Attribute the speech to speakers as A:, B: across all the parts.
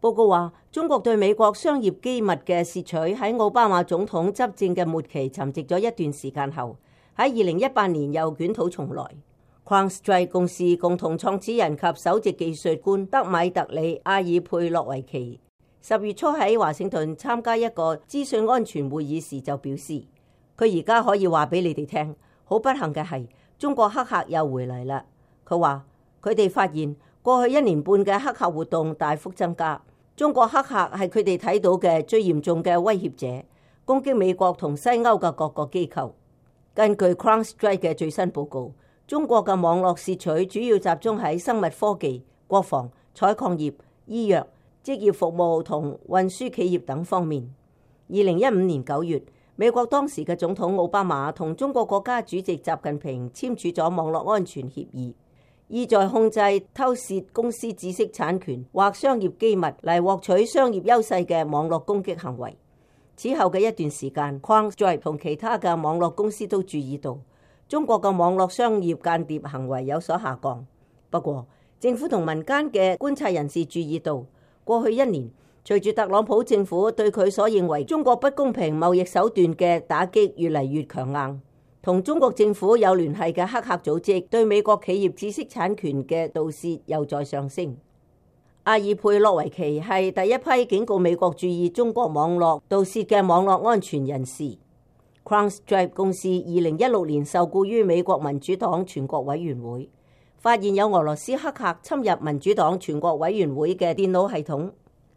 A: 報告話，中國對美國商業機密嘅竊取喺奧巴馬總統執政嘅末期沉寂咗一段時間後，喺2018年又捲土重來。CrowdStrike 公司共同創始人及首席技術官德米特里·阿爾佩洛維奇10月初喺華盛頓參加一個資訊安全會議時就表示，佢而家可以話俾你哋聽，好不幸嘅係中國黑客又回嚟啦。佢話佢哋發現過去1年半嘅黑客活動大幅增加。中國黑客係佢哋睇到嘅最嚴重嘅威脅者，攻擊美國同西歐嘅各個機構。根據 CrowdStrike 嘅最新報告，中國嘅網絡竊取主要集中喺生物科技、國防、採礦業、醫藥、職業服務同運輸企業等方面。2015年9月，美國當時嘅總統奧巴馬同中國國家主席習近平簽署咗網絡安全協議，意在控制偷竊公司知識產權或商業機密嚟獲取商業優勢嘅網絡攻擊行為。此後嘅一段時間，CrowdStrike 同其他嘅網絡公司都注意到中國嘅網絡商業間諜行為有所下降。不過，政府同民間嘅觀察人士注意到，過去1年，隨住特朗普政府對佢所認為中國不公平貿易手段嘅打擊越嚟越強硬，同中國政府有聯繫嘅黑客組織對美國企業知識產權嘅盜竊又在上升。阿爾佩洛維奇係第一批警告美國注意中國網絡盜竊嘅網絡安全人士。CrowdStrike 公司2016年受僱於美國民主黨全國委員會，發現有俄羅斯黑客侵入民主黨全國委員會嘅電腦系統。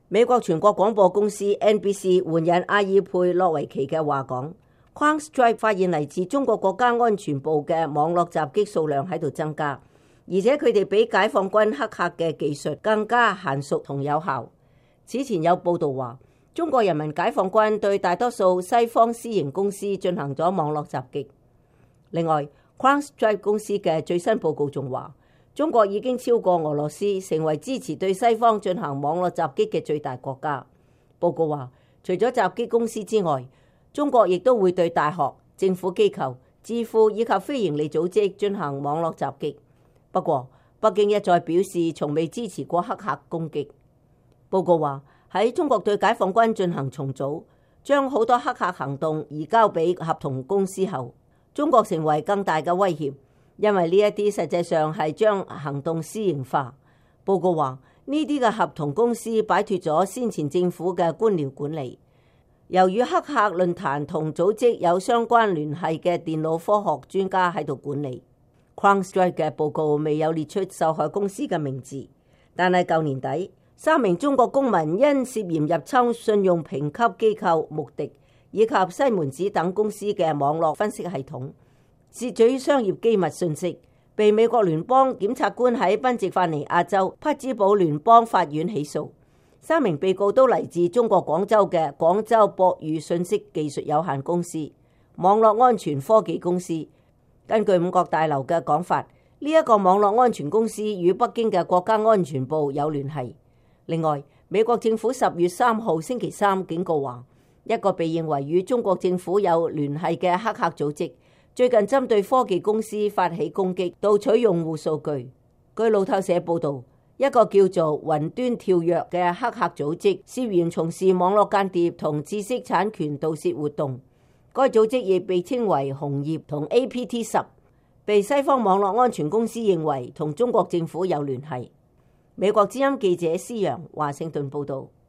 A: 美國全國廣播公司 NBC 援引阿爾佩洛維奇嘅話講，CrowdStrike 發現嚟自中國國家安全部嘅網絡襲擊數量喺度增加，而且佢哋比解放軍黑客嘅技術更加嫻熟同有效。此前有報道話，中國人民解放軍對大多數西方私營公司進行咗網絡襲擊。另外，CrowdStrike 公司嘅最新報告仲話，中國已經超過俄羅斯成為支持對西方進行網絡襲擊嘅最大國家。報告話，除咗襲擊公司之外，中國亦都會對大學、政府機構、智庫以及非營利組織進行網絡襲擊。不過，北京一再表示從未支持過黑客攻擊。報告話，喺中國對解放軍進行重組，將好多黑客行動移交俾合同公司後，中國成為更大嘅威脅，因為呢一啲實際上係將行動私營化。報告話，呢啲嘅合同公司擺脫咗先前政府嘅官僚管理，由於黑客論壇同組織有相關聯繫嘅電腦科學專家喺度管理。CrowdStrike 嘅報告未有列出受害公司嘅名字，但係舊年底3名中國公民因涉嫌入侵信用評級機構穆迪以及西門子等公司嘅網絡分析系統，竊取商業機密信息，被美國聯邦檢察官喺賓夕法尼亞州匹茲堡聯邦法院起訴。3名被告都嚟自中國廣州嘅廣州博宇信息技術有限公司、網絡安全科技公司。根據五角大樓嘅講法，呢一個網絡安全公司與北京嘅國家安全部有聯繫。另外，美國政府10月3號星期三警告話，一個被認為與中國政府有聯繫嘅黑客組織最近針對科技公司發起攻擊，盜取用戶數據。據路透社報導，一個叫做雲端跳躍嘅黑客組織涉嫌從事網絡間諜同知識產權盜竊活動。該組織亦被稱為紅葉同 APT10，被西方網絡安全公司認為同中國政府有聯繫。美國之音記者施洋華盛頓報導。